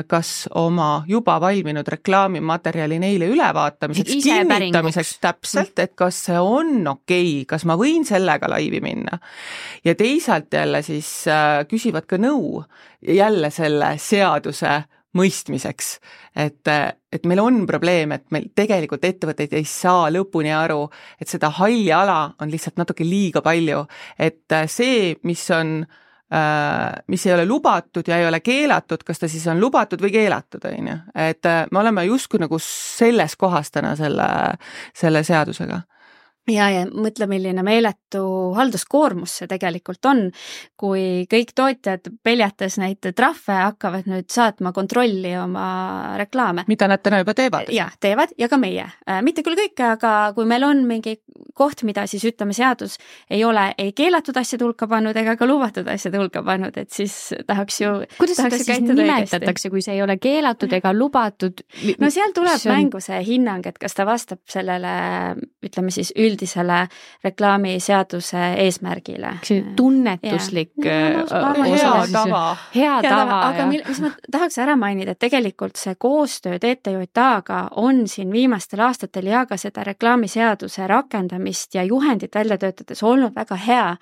kas oma juba valminud reklaamimaterjali neile ülevaatamiseks, kinnitamiseks täpselt, et kas see on okei, kas ma võin sellega laivi minna. Ja teisalt jälle siis küsivad ka nõu jälle selle seaduse mõistmiseks, et meil on probleem, et meil tegelikult ettevõtteid ei saa lõpuni aru, et seda halli ala on lihtsalt natuke liiga palju, et see, mis ei ole lubatud ja ei ole keelatud, kas ta siis on lubatud või keelatud, on ju. Et me oleme justkui nagu selles kohas täna selle seadusega. Ja mõtle, milline meeletu halduskoormus see tegelikult on, kui kõik tootjad peljates neid trahve hakkavad nüüd saatma kontrolli oma reklaame. Mida nad täna juba teevad? Jah, teevad ja ka meie. Mitte küll kõike, aga kui meil on mingi koht, mida siis ütleme seadus ei ole ei keelatud asjade hulka pannud ega ka lubatud asjade hulka pannud, et siis tahaks ju kuidas seda siis nimetatakse, kui see ei ole keelatud ega lubatud? No seal tuleb mängu see hinnang, et kas ta vastab sellele, ütleme siis üldisele reklaamiseaduse eesmärgile. Tunnetuslik hea tava. Hea tava. Aga mis ma tahaks ära mainida, et tegelikult see koostöö TTJA-ga on siin viimastel aastatel ja ka seda reklaamiseaduse rakendamist ja juhendit välja töötades olnud väga hea.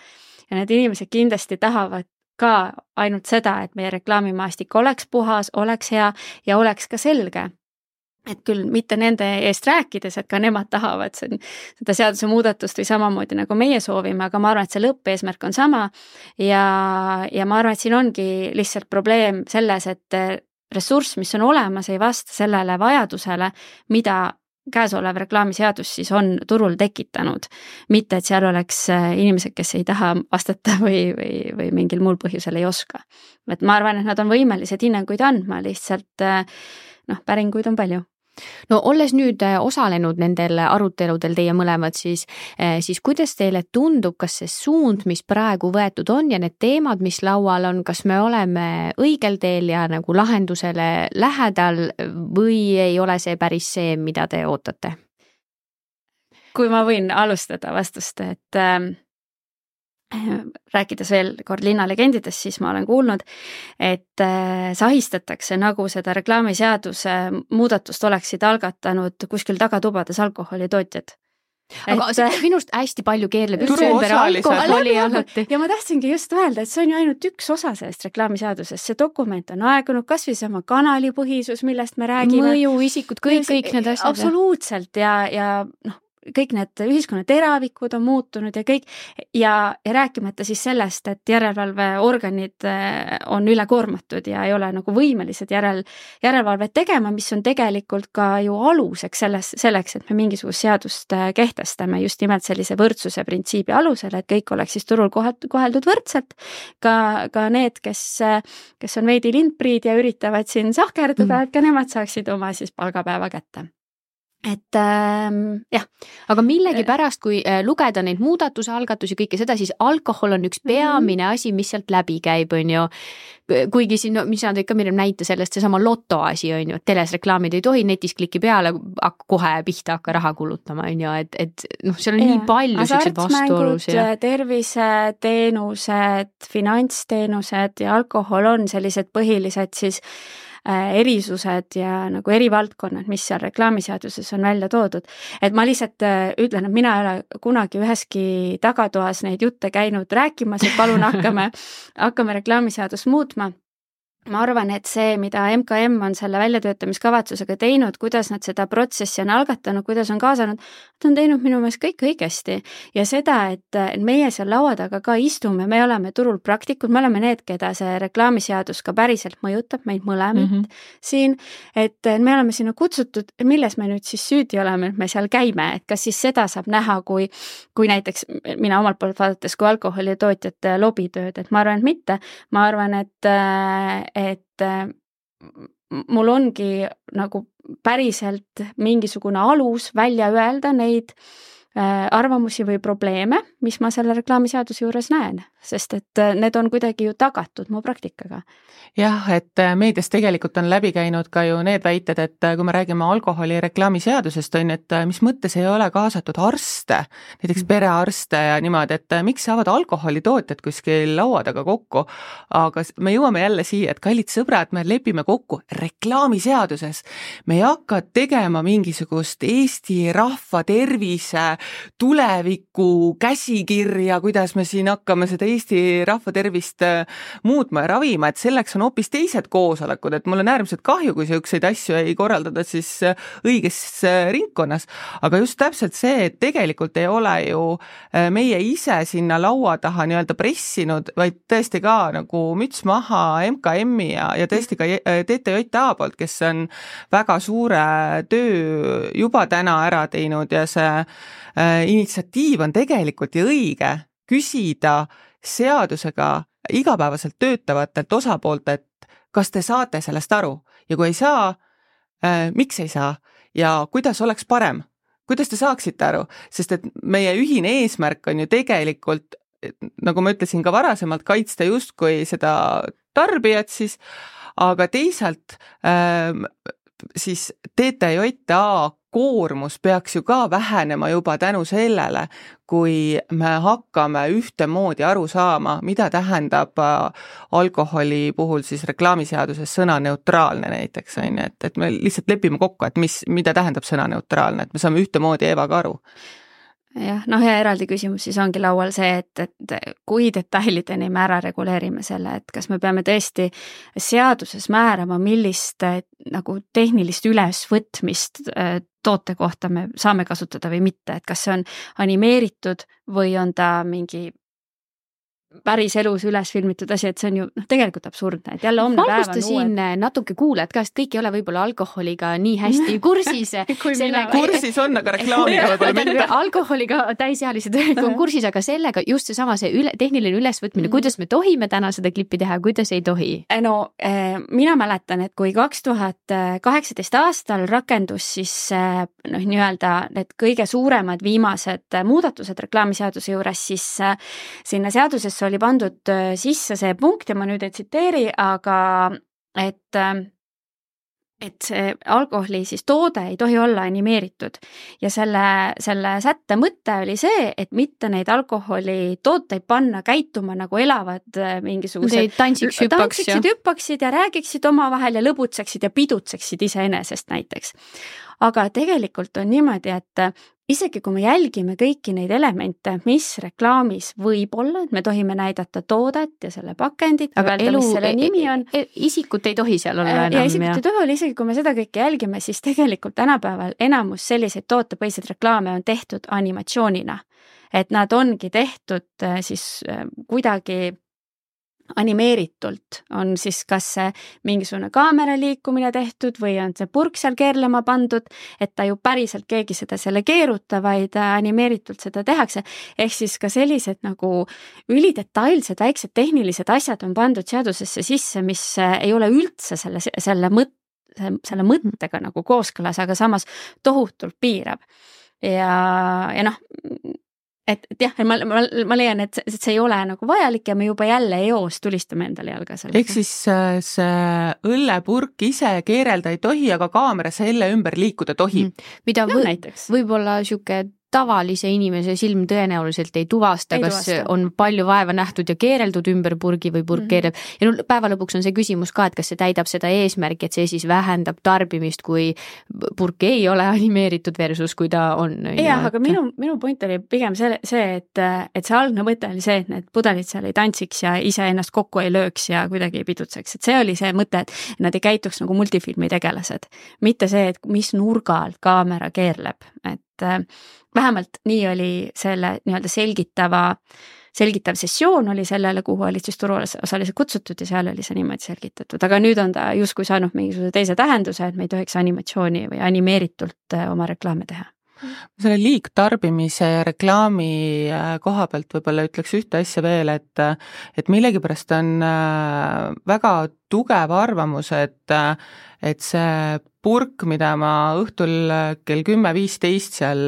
Ja need inimesed kindlasti tahavad ka ainult seda, et meie reklaamimaastik oleks puhas, oleks hea ja oleks ka selge. Et küll mitte nende eest rääkides, et ka nemad tahavad seda seaduse muudatust või samamoodi nagu meie soovime, aga ma arvan, et see lõppeesmärk on sama ja ma arvan, et siin ongi lihtsalt probleem selles, et ressurss, mis on olemas, ei vasta sellele vajadusele, mida käesolev reklaamiseadus siis on turul tekitanud. Mitte, et seal oleks inimesed, kes ei taha vastata või mingil muul põhjusel ei oska. Et ma arvan, et nad on võimelised hinnanguid andma, lihtsalt päringuid on palju. No olles nüüd osalenud nendel aruteludel teie mõlemad, siis kuidas teile tundub, kas see suund, mis praegu võetud on ja need teemad, mis laual on, kas me oleme õigel teel ja nagu lahendusele lähedal või ei ole see päris see, mida te ootate? Kui ma võin alustada vastust, et rääkides veel kord linnalegendidest, siis ma olen kuulnud, et sahistatakse, nagu seda reklaamiseaduse muudatust oleksid algatanud kuskil tagatubades alkoholitootjad. Aga minust hästi palju keerleb just ümber alkoholi alati. Ja ma tahtsingi just öelda, et see on ju ainult üks osa sellest reklaamiseadusest. See dokument on aegunud, kas või sama kanalipõhisus, millest me räägime. Mõju, isikud, kõik need asjad. Absoluutselt ja kõik need ühiskonna teravikud on muutunud ja kõik ja rääkimata siis sellest, et järelevalveorganid on ülekoormatud ja ei ole nagu võimelised järelevalvet tegema, mis on tegelikult ka ju aluseks selleks, et me mingisugust seadust kehtestame just nimelt sellise võrdsuse printsiibi alusel, et kõik oleks siis turul koheldud võrdselt, ka need, kes on veidi lindpriid ja üritavad siin sahkerduda, et ka nemad saaksid oma siis palgapäeva kätte. Et jah. Aga millegi pärast, kui lugeda neid muudatuse algatusi, kõike seda, siis alkohol on üks peamine asi, mis sealt läbi käib, on ju. Kuigi siin, mis nad ikka mirem näite sellest, see sama loto asi, on ju, et teles reklaamid ei tohi, netis kliki peale, kohe pihta hakka raha kulutama, on ju, et seal on nii palju sellised vastuolusid. Terviseteenused, finantsteenused ja alkohol on sellised põhilised siis erisused ja nagu erivaldkonnad, mis seal reklaamiseaduses on välja toodud. Et ma lihtsalt ütlen, et mina ei ole kunagi üheski tagatoas neid jutte käinud rääkimas, et palun hakkame reklaamiseadust muutma. Ma arvan, et see, mida MKM on selle väljatöötamiskavatsusega teinud, kuidas nad seda protsessi on algatanud, kuidas on kaasanud, nad on teinud minu meelest kõik õigesti. Ja seda, et meie seal laua taga ka istume, me oleme turul praktikud, me oleme need, keda see reklaamiseadus ka päriselt mõjutab, meid mõlemid siin, et me oleme sinna kutsutud, milles me nüüd siis süüdi oleme, et me seal käime, et kas siis seda saab näha, kui näiteks mina omalt poolt vaadates kui alkoholitootjate lobitööd, et ma arvan, et mitte. Ma arvan, et mul ongi nagu päriselt mingisugune alus välja öelda neid arvamusi või probleeme, mis ma selle reklaamiseaduse juures näen, sest et need on kuidagi ju tagatud mu praktikaga. Jah, et meedias tegelikult on läbi käinud ka ju need väited, et kui me räägime alkoholi reklaamiseadusest, on, et mis mõttes ei ole kaasatud arste, näiteks perearste ja niimoodi, et miks saavad alkoholitootjad kuskil laua taga kokku, aga me jõuame jälle siia, et kallid sõbrad, me lepime kokku reklaamiseaduses. Me ei hakka tegema mingisugust Eesti rahva tervise tuleviku käsikirja, kuidas me siin hakkame seda Eesti rahva tervist muutma ja ravima, et selleks on hoopis teised koosolekud, et mul on äärmiselt kahju, kui selliseid asju ei korraldada siis õiges ringkonnas, aga just täpselt see, et tegelikult ei ole ju meie ise sinna laua taha nii-öelda pressinud, vaid tõesti ka nagu müts maha MKM-i ja tõesti ka TTJA poolt, kes on väga suure töö juba täna ära teinud ja see initsiatiiv on tegelikult ju õige küsida seadusega igapäevaselt töötavatelt osapooltelt, kas te saate sellest aru ja kui ei saa, miks ei saa ja kuidas oleks parem, kuidas te saaksite aru, sest et meie ühine eesmärk on ju tegelikult, nagu ma ütlesin ka varasemalt, kaitsta justkui seda tarbijat siis, aga teisalt siis TTJA koormus peaks ju ka vähenema juba tänu sellele, kui me hakkame ühtemoodi aru saama, mida tähendab alkoholi puhul siis reklaamiseaduses sõna neutraalne näiteks, et me lihtsalt lepime kokku, et mida tähendab sõna neutraalne, et me saame ühtemoodi Evaga aru. Jah, ja eraldi küsimus siis ongi laual see, et kui detailideni me ära reguleerime selle, et kas me peame tõesti seaduses määrama, millist nagu tehnilist ülesvõtmist toote kohta me saame kasutada või mitte, et kas see on animeeritud või on ta mingi päris elus üles filmitud asi, et see on ju tegelikult absurdne, et jälle homne päev on siin natuke kuuled ka, sest kõik ei ole võib-olla alkoholiga nii hästi kursis. kursis on, aga reklaamiga võib-olla mitte. Alkoholiga täisealised on kursis, aga sellega just seesama tehniline ülesvõtmine, kuidas me tohime täna seda klippi teha, kuidas ei tohi? No mina mäletan, et kui 2018 aastal rakendus siis nii-öelda need kõige suuremad viimased muudatused reklaamiseaduse juures, siis sinna seadusesse oli pandud sisse see punkt ja ma nüüd ei tsiteeri, aga et see alkoholi siis toode ei tohi olla animeeritud ja selle sätte mõte oli see, et mitte neid alkoholitooteid panna käituma nagu elavad mingisugused tantsiksid hüppaksid ja räägiksid omavahel ja lõbutseksid ja pidutseksid iseenesest näiteks. Aga tegelikult on niimoodi, et isegi kui me jälgime kõiki neid elemente, mis reklaamis võib olla, et me tohime näidata toodet ja selle pakendit, aga öelda, mis selle nimi on. Isikut ei tohi seal olla enam. Ja isikut ei tohi olla, isegi kui me seda kõike jälgime, siis tegelikult tänapäeval enamus selliseid tootepõhiseid reklaame on tehtud animatsioonina. Et nad ongi tehtud siis kuidagi animeeritult, on siis kas see mingisugune kaamera liikumine tehtud või on see purk seal keerlema pandud, et ta ju päriselt keegi seda selle keeruta, vaid animeeritult seda tehakse. Ehk siis ka sellised nagu ülidetailsed väiksed tehnilised asjad on pandud seadusesse sisse, mis ei ole üldse selle mõttega nagu kooskõlas, aga samas tohutult piirab. Ja et jah, ma leian, et see ei ole nagu vajalik ja me juba jälle eos tulistame endale jalga selle. Ehk siis see õllepurk ise keerelda ei tohi, aga kaamera selle ümber liikuda tohib. Mida võib-olla siuke tavalise inimese silm tõenäoliselt ei tuvasta, kas on palju vaeva nähtud ja keereldud ümber purgi või purk keereb. Ja päeva lõpuks on see küsimus ka, et kas see täidab seda eesmärki, et see siis vähendab tarbimist, kui purk ei ole animeeritud versus kui ta on. Jah, aga minu point oli pigem see, et see algne mõte oli see, et need pudelid seal ei tantsiks ja ise ennast kokku ei lööks ja kuidagi ei pidutseks. Et see oli see mõte, et nad ei käituks nagu multifilmi tegelased. Mitte see, et mis nurga alt kaamera keerleb. Et vähemalt nii oli selle nii-öelda selgitav sessioon oli sellele, kuhu olid siis turuosalised kutsutud ja seal oli see niimoodi selgitatud. Aga nüüd on ta justkui saanud mingisuguse teise tähenduse, et me ei tohiks animatsiooni või animeeritult oma reklaame teha. Selle liigtarbimise ja reklaami koha pealt võib-olla ütleks ühte asja veel, et millegipärast on väga tugev arvamus, et see purk, mida ma õhtul kell 10:15 seal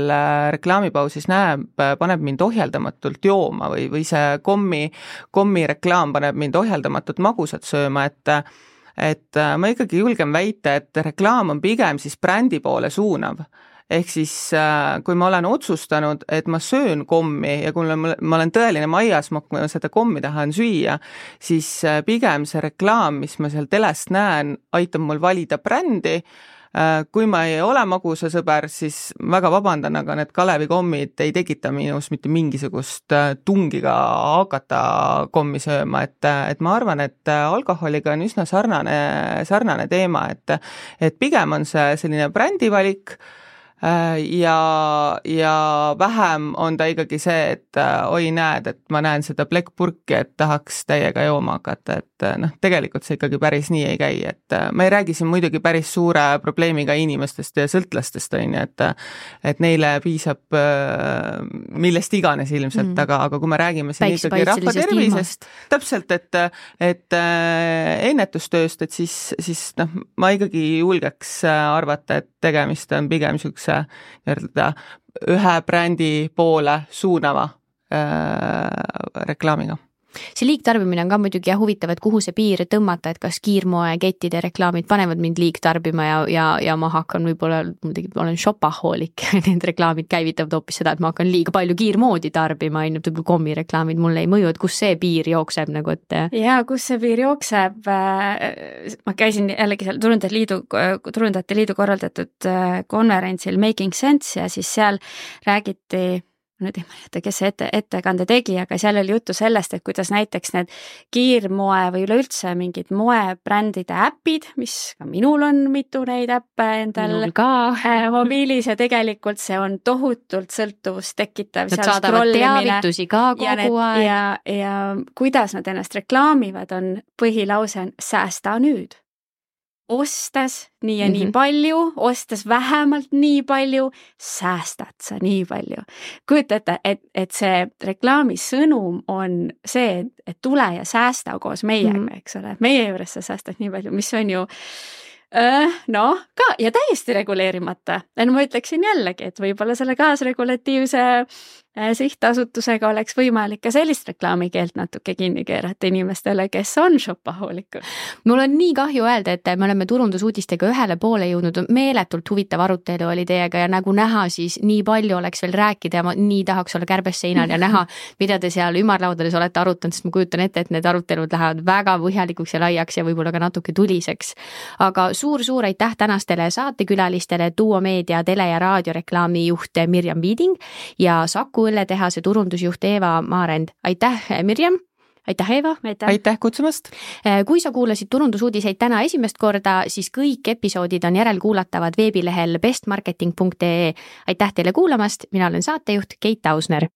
reklaamipausis näeb, paneb mind ohjeldamatult jooma või see kommi reklaam paneb mind ohjeldamatult magusat sööma, et ma ikkagi julgen väita, et reklaam on pigem siis brändi poole suunav. Ehk siis, kui ma olen otsustanud, et ma söön kommi ja kui ma olen tõeline maiasmokk, ma seda kommi tahan süüa, siis pigem see reklaam, mis ma seal telest näen, aitab mul valida brändi. Kui ma ei ole magusasõber, siis väga vabandan, aga need Kalevi-kommid ei tekita minus mitte mingisugust tungiga hakata kommi sööma, et ma arvan, et alkoholiga on üsna sarnane teema, et pigem on see selline brändivalik ja vähem on ta ikkagi see, et oi näed, et ma näen seda plekkpurki, et tahaks täiega jooma hakata, et tegelikult see ikkagi päris nii ei käi, et ma ei räägi siin muidugi päris suure probleemiga inimestest ja sõltlastest, et neile piisab millest iganes ilmselt, aga kui me räägime siin ikkagi rahva tervisest, täpselt, et ennetustööst, et siis ma ikkagi julgeks arvata, et tegemist on pigem niisuguse ühe brändi poole suunava reklaamiga. See liigtarbimine on ka muidugi huvitav, et kuhu see piir tõmmata, et kas kiirmoekettide reklaamid panevad mind liigtarbima ja ma hakkan võib-olla, olen shopahoolik, need reklaamid käivitavad hoopis seda, et ma hakkan liiga palju kiirmoodi tarbima, ainult võib-olla kommireklaamid mulle ei mõju, et kus see piir jookseb nagu, et... Ja kus see piir jookseb, ma käisin jällegi seal Turundajate Liidu korraldatud konverentsil Making Sense ja siis seal räägiti, nüüd ei mäleta, kes see ettekande tegi, aga seal oli juttu sellest, et kuidas näiteks need kiirmoe või üleüldse mingid moebrändide äpid, mis ka minul on mitu neid äppe endal mobiilis ja tegelikult see on tohutult sõltuvust tekitav. Nad saadavad teavitusi ka kogu aeg. Ja kuidas nad ennast reklaamivad, on põhilause on säästa nüüd. Ostes nii ja nii palju, ostes vähemalt nii palju, säästad sa nii palju. Kujuta ette, et see reklaami sõnum on see, et tule ja säästa koos meiega, eks ole. Meie juures sa säästad nii palju, mis on ju ka ja täiesti reguleerimata. Ma ütleksin jällegi, et võib-olla selle kaasregulatiivse sihtasutusega oleks võimalik ka sellist reklaamikeelt natuke kinni keerata inimestele, kes on shopahoolikud. Mul on nii kahju öelda, et me oleme turundusuudistega ühele poole jõudnud, meeletult huvitav arutelu oli teiega ja nagu näha, siis nii palju oleks veel rääkida ja ma nii tahaks olla kärbes seinal ja näha, mida te seal ümarlaudades olete arutanud, sest ma kujutan ette, et need arutelud lähevad väga põhjalikuks ja laiaks ja võib-olla ka natuke tuliseks. Aga suur-suur aitäh tänastele saatekülalistele, Duo Meedia tele- ja raadioreklaami juht Mirjam Viiding ja Saku õlletehase turundusjuht Eeva Maarend. Aitäh, Mirjam! Aitäh, Eeva! Aitäh kutsumast! Kui sa kuulasid turundusuudiseid täna esimest korda, siis kõik episoodid on järelkuulatavad veebilehel bestmarketing.ee. Aitäh teile kuulamast! Mina olen saatejuht Keit Ausner.